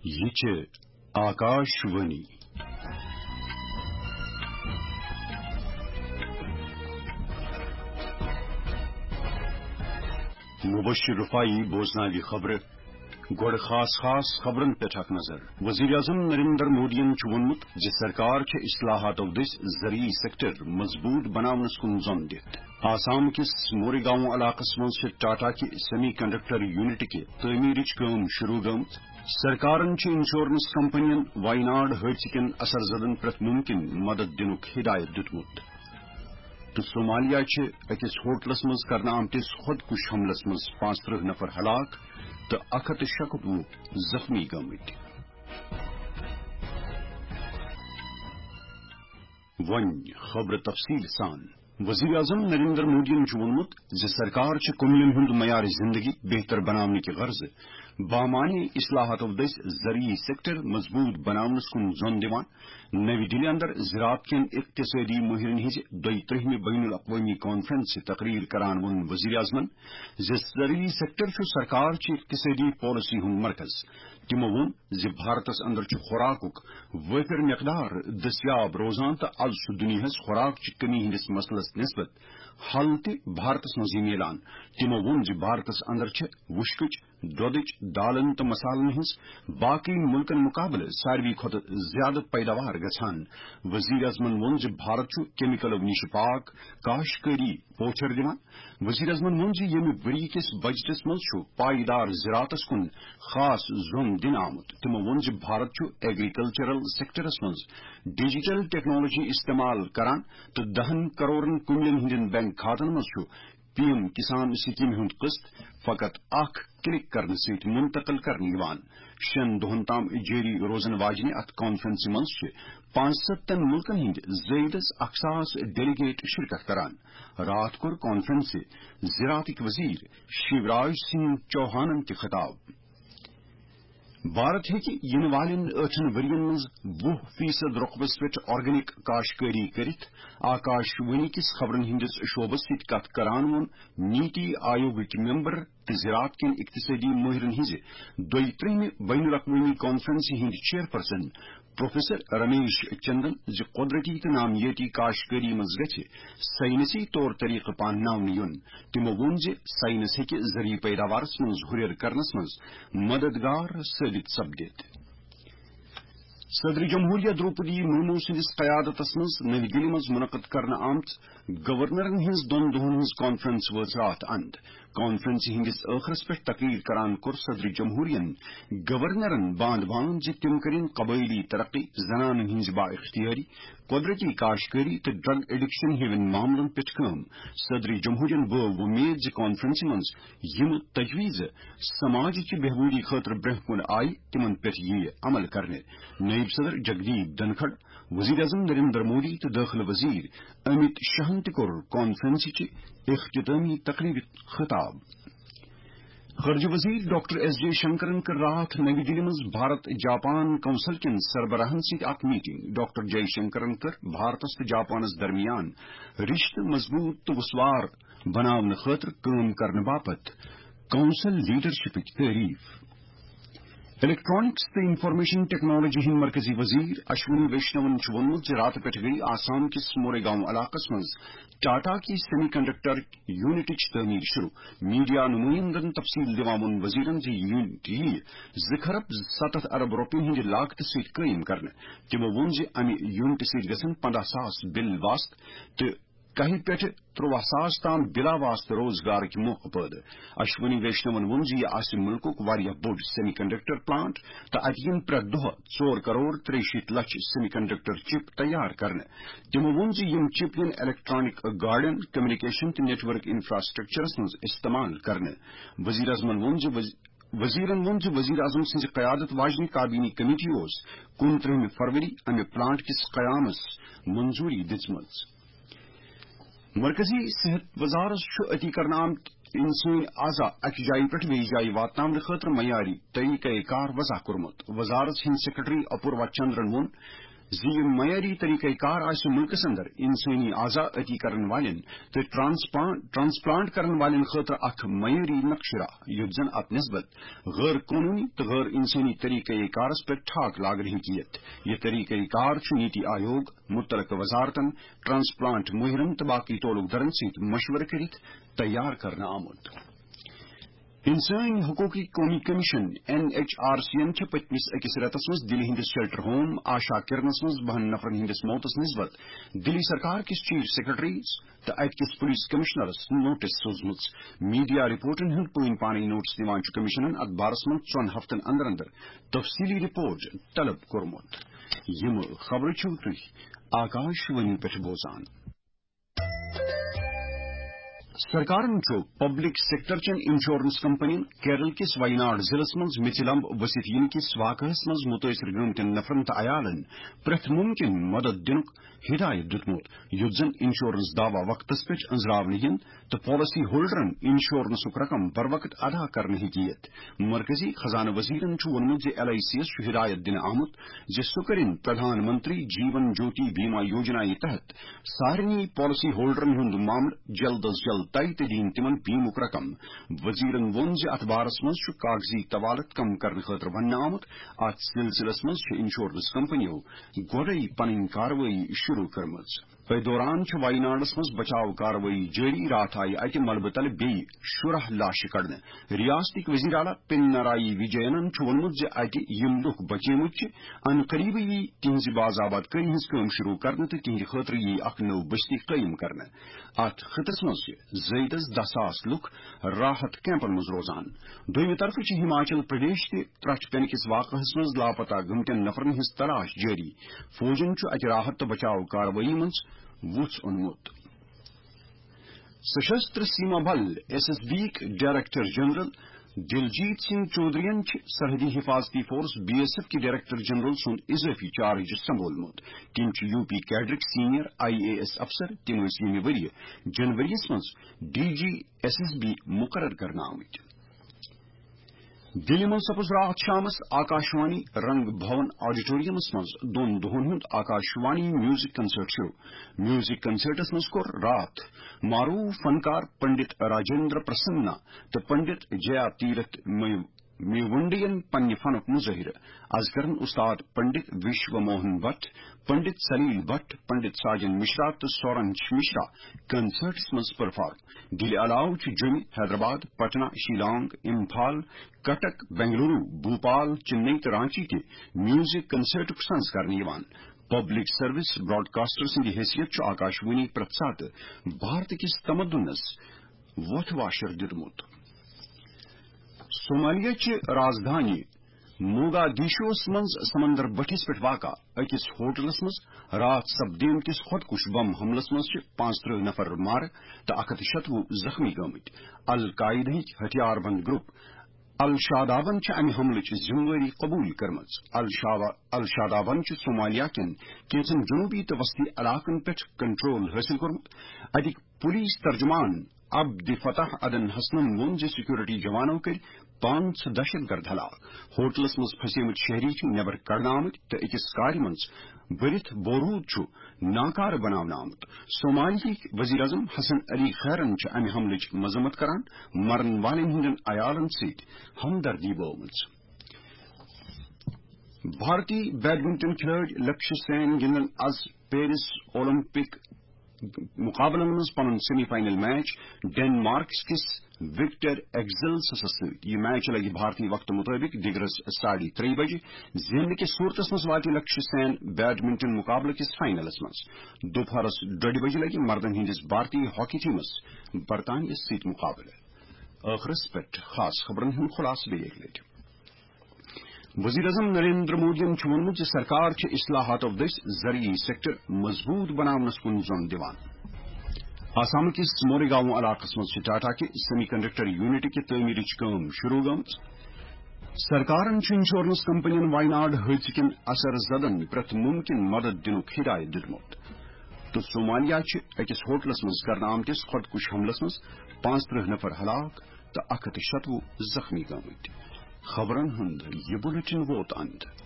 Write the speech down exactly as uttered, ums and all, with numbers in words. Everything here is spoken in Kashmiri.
یہِ چھِ آکاش وانی۔ مبشر رفاعی بوزناوِ خبرٕ۔ گۄڈٕ خاص خاص خبرن پٮ۪ٹھ اکھ نظر۔ وزیر اعظم نریندر مودیَن چھُ ووٚنمُت زِ سرکار چھےٚ اصلاحاتو دٔسۍ زرعی سیکٹر مضبوط بناونس کُن زۄن دِتھ۔ آسام کِس موریگاؤں علاقس منٛز چھِ ٹاٹا کہِ سیمی کنڈکٹر یونٹ کہِ تعمیرٕچ کٲم شروع گٔمٕژ۔ سرکارن چھِ انشورنس کمپنین وائناڈ حٲدثہٕ کٮ۪ن اثر زدن پرٛٮ۪تھ مُمکِن مدد دِنُک ہدایت دیُتمُت۔ تہٕ صومالیہ چھِ أکِس ہوٹلس منٛز کرنہٕ آمتِس خودکش حملس منٛز پانٛژترٕہ نفر ہلاک تہٕ اکھ ہتھ تہٕ شُکوُہ زخمی گٔمٕتۍ۔ وۄنۍ خبرٕ تفصیل سان۔ وزیر اعظم نریندر مودیَن چھُ ووٚنمُت زِ سرکار چھِ کٔمِلین ہُنٛد معیار زندگی بہتر بناونہٕ کہِ غرضہٕ بامعنی اصلاحاتو دٔسۍ زرعی سیکٹر مضبوط بناونس کُن زۄن دِوان۔ نَوِ دِلہِ اندر زراعت کٮ۪ن اقتصٲدی مٲہرن ہٕنٛزِ دۄیہِ ترٛہمہِ بین الاقوٲمی کانفرنسہِ تقریر کران ووٚن وزیر اعظمن زِ زرعی سیکٹر چھُ سرکار چہِ اقتصٲدی پالیسی ہُنٛد مرکز۔ تِمو ووٚن زِ بھارتس اندر چھُ خوراکُک وٲفر مقدار دٔستیاب روزان تہٕ از چھُ دُنیاہس خوراک چہِ کمی ہٕنٛدِس مسلس نسبت حل تہِ بھارتس منٛزٕے میلان۔ تِمو ووٚن زِ بھارتس اندر چھِ وُشکٕچ، دۄدٕچ، دالن تہٕ مسالن ہٕنٛز باقٕے مُلکن مُقابلہٕ ساروی کھۄتہٕ زیادٕ پیداوار گژھان۔ وزیر اعظمن ووٚن زِ بھارت چھُ کیمیکلو نِش پاک کاشتکٲری پوچھر دِوان۔ وزیر اعظمن ووٚن زِ ییٚمہِ ؤری کِس بجٹس منٛز چھُ پائیدار زراعتس کُن خاص زوٚن دِنہٕ آمُت۔ تِمو ووٚن زِ بھارت چھُ ایگریکلچرل سیکٹرس منٛز ڈیجیٹل ٹیکنالوجی استعمال کران تہٕ دَہن کرورن کُملین ہٕنٛدٮ۪ن بینک کھاتن منٛز چھُ پی ایم کسان سکیمہِ ہُنٛد قسط فقط اکھ کلک کرنہٕ سۭتۍ منتقل کرنہٕ یِوان۔ شٮ۪ن دۄہن تام جٲری روزن واجنہِ اتھ کانفرنسہِ منٛز چھِ پانٛژستن مُلکن ہٕنٛدۍ زٲیدس اکھ ساس ڈیلیگیٹ شرکت کران۔ راتھ کوٚر کانفرنسہِ زراعتٕکۍ وزیر شیوراج سنگھ چوہانن تہِ خطاب۔ بھارت ہیٚکہِ یِنہٕ والٮ۪ن ٲٹھن ؤرین منٛز وُہ فیصد رۄقبس پٮ۪ٹھ آرگینک کاشتکٲری کٔرِتھ۔ آکاش وانی کِس خبرن ہٕنٛدِس شعبس سۭتۍ کتھ کران ووٚن نیتی آیوگٕکۍ ممبر تہٕ زراعت کٮ۪ن اقتصٲدی مٲہرن ہٕنٛزِ دۄیہِ ترٛہمہِ بین الاقوٲمی کانفرنسہِ ہٕنٛدۍ چیئرپرسن پروفیسر رمیش چندن زِ قۄدرتی تہٕ نامیٲتی کاشتکٲری منٛز گژھِ ساینسی طور طریقہٕ پانناونہٕ یُن۔ تِمو ووٚن زِ ساینس ہیٚکہِ زرعی پیداوارس منٛز ہُرٮ۪ر کرنس منٛز مددگار ثٲبت سپدِتھ۔ صدر جمہوریہ دروپدی مرمو سٕنٛدِس قیادتس منٛز نٔوِ دِلہِ منٛز منعقد کرنہٕ آمژ گورنرن ہٕنٛز دۄن دۄہن ہٕنٛز کانفرنس وٲژ راتھ اند۔ کانفرنسہِ ہٕنٛدِس ٲخرس پٮ۪ٹھ تقریر کران کوٚر صدر جمہوریہن گورنرن باندھ باندھ زِ تِم کٔرِن قبٲئلی ترقی، زنانن ہٕنٛز با اختیٲری، قۄدرتی کاشتکٲری تہٕ ڈرگ ایڈکشن ہِوٮ۪ن معاملن پٮ۪ٹھ کٲم۔ صدر جمہوریہن بٲو وۄمید زِ کانفرنسہِ منٛز یِم تجویزٕ سماجٕچہِ بہبوٗدی خٲطرٕ برٛونٛہہ کُن آیہِ، تِمن پٮ۪ٹھ یِیہِ عمل کرنہٕ۔ نٲیِب صدر جگدیپ دھنکھڑ، وزیر اعظم نریندر مودی تہٕ دٲخلہٕ وزیر امت شاہن تہِ کوٚر کانفرنسٕچہِ اختتٲمی تقریبہِ خطاب۔ خارجہ وزیر ڈاکٹر ایس جے شنکرن کٔر راتھ نئی دِلہِ منٛز بھارت جاپان کونسل کٮ۪ن سربراہن سۭتۍ اکھ میٹنگ۔ ڈاکٹر جے شنکرن کٔر بھارتس تہٕ جاپانس درمیان رشتہٕ مضبوط تہٕ وسوار بناونہٕ خٲطرٕ کٲم کرنہٕ باپتھ کونسل لیڈرشپٕچ تعریف۔ الیکٹرانکس تہٕ انفارمیشن ٹیکنالوجی ہٕنٛدۍ مرکزی وزیر اشونی ویشنون چھُ ووٚنمُت زِ راتہٕ پٮ۪ٹھ گٔیہِ آسام کِس موریگاؤں علاقس منٛز ٹاٹا کی سیمی کنڈکٹر یونٹٕچ تعمیٖر شروع۔ میڈیا نُمٲیِندَن تفصیٖل دِوان ووٚن وزیرَن زِ یہِ یونٹ یِیہِ زٕ کھرب ستتھ ارب رۄپیَن ہٕنٛدِ لاگتہٕ سۭتۍ قٲیِم کرنہٕ۔ تِمَو ووٚن زِ اَمہِ یونٹہٕ سۭتۍ گژھن پنٛداہ ساس بِل واسطہٕ تہٕ کَہہِ پٮ۪ٹھ ترٛواہ ساس تام بِلا واسطہٕ روزگارٕکۍ موقعہٕ پٲدٕ۔ اشونی ویشنون ووٚن زِ یہِ آسہِ مُلکُک واریاہ بوٚڑ سیمی کنڈکٹر پلانٹ تہٕ اَتہِ یِن پرٛٮ۪تھ دۄہ ژور کرور ترٛیہِ شیٖتھ لچھ سیمی کنڈکٹر چپ تیار کرنہٕ۔ تِمَو ووٚن زِ یِم چپ یِن الیکٹرانک گاڑٮ۪ن، کمیونیکیشن تہٕ نیٹ ورک انفراسٹرکچرس منٛز استعمال کرنہٕ۔ وزیر اعظمن ووٚن زِ وز-، وزیرن ووٚن زِ وزیر اعظم سٕنٛزِ قیادت واجنہِ کابینی کمیٹی اوس کُنترٕہمہِ فروری امہِ پلانٹ کِس قیامس منظوری دِژمٕژ۔ مرکزی صحت وزارت چھُ عطیہ کرنہٕ آمت انسٲنی اعضا اکہِ جایہِ پٮ۪ٹھ بیٚیِس جایہِ واتناونہٕ خٲطرٕ معیاری طریقہ کار وضع کوٚرمُت۔ وزارت ہٕنٛدۍ سیکرٹری اپوروا چندرن ووٚن زِ یہِ معیٲری طریقہ کار آسہِ مُلکس اندر انسٲنی اعضا عطی کرن والٮ۪ن تہٕ ٹرانسپلانٹ کرن والٮ۪ن خٲطرٕ اکھ معیٲری نقشہٕ راہ، یُتھ زن اتھ نسبت غٲر قونوٗنی تہٕ غٲر انسٲنی طریقہ کارس پٮ۪ٹھ ٹھاک لاگنہٕ ہیٚکہِ یِتھ۔ یہِ طریقہ کار چھُ نیتی آیوگ، مُتعلقہٕ وزارتن، ٹرانسپلانٹ مٲہرن تہٕ باقی تعلق دارن سۭتۍ مشورٕ کٔرِتھ تیار کرنہٕ آمُت۔ انسٲنی حقوقی قومی کمیشن، این ایچ آر سی یَن چھِ پٔتمِس أکِس رٮ۪تَس منٛز دِلہِ ہٕنٛدِس شیلٹر ہوم آشا کرنس منٛز بَہَن نفرن ہٕنٛدِس موتس نسبت دِلی سرکار کِس چیف سیکرٹریس تہٕ اتہِ کِس پولیس کمشنرس نوٹس سوزمٕژ۔ میڈیا رپورٹن ہُنٛد پٲنۍ پانے نوٹس دِوان چھُ کمشنن اتھ بارس منٛز ژۄن ہفتن اندر اندر تفصیلی رپورٹ طلب کوٚرمُت۔ یِم خبرٕ چھِو تُہۍ آکاش وانی پٮ۪ٹھ بوزان۔ سرکارن چھُ پبلک سیکٹر چٮ۪ن انشورنس کمپنین کیرل کِس ویناڈ ضلعس منٛز میٚژِ لمب ؤسِتھ یِنہٕ کِس واقعس منٛز مُتٲثر گٔمتٮ۪ن نفرن تہٕ عیالن پرٛٮ۪تھ مُمکِن مدد دِنُک ہدایت دیُتمُت، یُتھ زن انشورنس دعویٰ وقتس پٮ۪ٹھ أنٛزراونہٕ یِن تہٕ پالیسی ہولڈرن انشورنسُک رقم بروقت ادا کرنہٕ ہیٚکہِ یِتھ۔ مرکزی خزانہٕ وزیرن چھُ ووٚنمُت زِ ایل آئی سی یَس چھُ ہدایت دِنہٕ آمُت زِ سُہ کٔرِن پردھان منتری جیون جیوتی بیما یوجنا یہِ تحت سارنٕے پالیسی ہولڈرن ہُنٛد معاملہٕ جلد از جلد طے تہٕ دِیِن تِمن بیمُک رقم۔ وزیرن ووٚن زِ اتھ بارس منٛز چھُ کاغذی طوالت کم کرنہٕ خٲطرٕ وننہٕ آمُت۔ اتھ سلسلس منٛز چھِ انشورنس کمپنیو گۄڈَے پنٕنۍ کاروٲیی شروع کٔرمٕژ۔ أتھۍ دوران چھِ وایناڈس منٛز بچاو کاروٲیی جٲری۔ راتھ آیہِ اتہِ ملبہٕ تلہٕ بیٚیہِ شُراہ لاشہِ کڑنہٕ۔ ریاستٕکۍ وزیر اعلیٰ پِنرائی وِجینن چھُ ووٚنمُت زِ اتہِ یِم لُکھ بچیمٕتۍ چھِ، ان قریبٕے یی تِہنٛزِ باز آباد کٲری ہٕنٛز کٲم شروع کرنہٕ تہٕ تِہنٛدِ خٲطرٕ یی اکھ نٔو بستی قٲیِم کرنہٕ۔ اتھ خطس منٛز چھِ زٲیدس دَہ ساس لُکھ راحت کیمپن منٛز روزان۔ دوٚیمہِ طرفہٕ چھِ ہماچل پردیش تہِ ترٹھ پینہٕ کِس واقعس منٛز لاپتہ گٔمتٮ۪ن نفرن ہٕنٛز تلاش جٲری۔ فوجن چھُ اتہِ راحت تہٕ بچاو کاروٲیی منٛز وُژھ اوٚنمُت۔ Sashastra Seema Bal, S S B یِک ڈائریکٹر جنرل دلجیت سنگھ چودھرین چھِ سرحدی حفاظتی فورس، بی ایس ایف کہِ ڈائریکٹر جنرل سُنٛد اضٲفی چارج سنبھولمُت۔ تِم چھِ یو پی کیڈرٕکۍ سینئر آئی اے ایس افسر۔ تِم ٲسۍ ییٚمہِ ؤرۍ یہِ جنوری یَس منٛز D G S S B مقرر کرنہٕ آمٕتۍ۔ دِلہِ منٛز سپُز راتھ شامس آکاشوانی رنگ بھون آڈیٹوریمس منٛز دۄن دۄہن ہُنٛد آکاشوانی میوزک کنسرٹ شروع۔ میوزک کنسرٹس منٛز کوٚر راتھ معروف فنکار پنڈت راجندر پرسننا تہٕ پنڈت جیا تیرتھ می-، میونڈین پننہِ فنُک مظٲہرٕ۔ از کرن استاد پنڈت وشو موہن بٹ، پنڈت سلیل بٹ، پنڈت ساجن مشرا تہٕ سورنش مشرا کنسرٹس منٛز پرفارم۔ دِلہِ علاوٕ چھُ جوٚمہِ، حیدرآباد، پٹنہ، شیلانگ، امپھال، کٹک، بنگلورو، بھوپال، چنئی تہٕ رانچی تہِ میوزک کنسرٹُک سنز کرنہٕ یِوان۔ پبلک سروس براڈکاسٹر سٕنٛدِ حیثیت چھُ آکاشوانی پرٛٮ۪تھ ساتہٕ بھارت کِس تمدنس وۄتھ واشر دیُتمُت۔ صومالیہ چہِ رازدھانی موگادیشوس منٛز سمندر بٔٹھِس پٮ۪ٹھ واقع أکِس ہوٹلس منٛز راتھ سپدیمتِس خۄدکُش بم حملس منٛز چھِ پانٛژترٕہ نفر مارٕ تہٕ اکھ ہتھ شتوُہ زخمی گٔمٕتۍ۔ القاعدہٕکۍ ہتھیار بند گروپ الشادابن چھِ امہِ حملٕچ ذمہٕ وٲری قبول کٔرمٕژ۔ الشاوا-، الشادابن چھِ صومالیہ کٮ۪ن کینٛژن جنوبی تہٕ وسطی علاقن پٮ۪ٹھ کنٹرول حٲصِل کوٚرمُت۔ اتِکۍ پولیس ترجمان عبد فتح عدن حسنن ووٚن زِ سیکورٹی جوانو کٔرۍ پانٛژھ دہشت گرد ہلاک۔ ہوٹلس منٛز پھسیمٕتۍ شہری چھِ نٮ۪بر کڑنہٕ آمٕتۍ تہٕ أکِس کارِ منٛز بٔرِتھ بورود چھُ ناکارٕ بناونہٕ آمُت۔ صومالیہٕکۍ وزیر اعظم حسن علی خیرن چھِ امہِ حملٕچ مذمت کران، مرن والٮ۪ن ہٕنٛدٮ۪ن عیالن سۭتۍ ہمدردی بٲومٕژ۔ بھارتی بیڈمنٹن کھلٲڑۍ لکشیہ سین گِنٛدن از پیرس اولمپک مقابلن منٛز پنُن سیمی فائنل میچ ڈنمارک کِس وکٹر ایگزلسس سۭتۍ۔ یہِ میچ لگہِ بھارتی وقتہٕ مطٲبق دِگرس ساڑِ ترٛیٚیہِ بجہِ۔ زیننہٕ کِس صورتس منٛز واتہِ لکشیہ سین بیڈمنٹن مقابلہٕ کِس فائنلس منٛز۔ دُپہرس ڈوٚڈِ بجہِ لگہِ مردن ہٕنٛدِس بھارتی ہاکی ٹیمس برطانیہ سۭتۍ مقابلہٕ۔ ٲخرس پٮ۪ٹھ خاص خبرن ہُنٛد خلاصہٕ بیٚیہِ اَکہِ لٹہِ۔ وزیر اعظم نریندر مودیَن چھُ ووٚنمُت زِ سرکار چھِ اصلاحاتو دٔسۍ زرعی سیکٹر مضبوط بناونس کُن زۄن دِوان۔ آسام کِس موریگاؤں علاقس منٛز چھِ ٹاٹا کہِ سیمی کنڈکٹر یونٹ کہِ تعمیرٕچ کٲم شروع گٔمٕژ۔ سرکارن چھُ انشورنس کمپنین وائناڈ حٲدثہٕ کٮ۪ن اثر زدن پرٛٮ۪تھ مُمکِن مدد دِنُک ہدایت دیُتمُت۔ تہٕ صومالیہ چھِ أکِس ہوٹلس منٛز کرنہٕ آمتِس خۄدکُش حملس منٛز پانٛژترٕہ نفر ہلاک تہٕ اکھ ہتھ شتوُہ زخمی گٔمٕتۍ۔ خبرن ہُنٛد یہِ بُلٹن ووت اند۔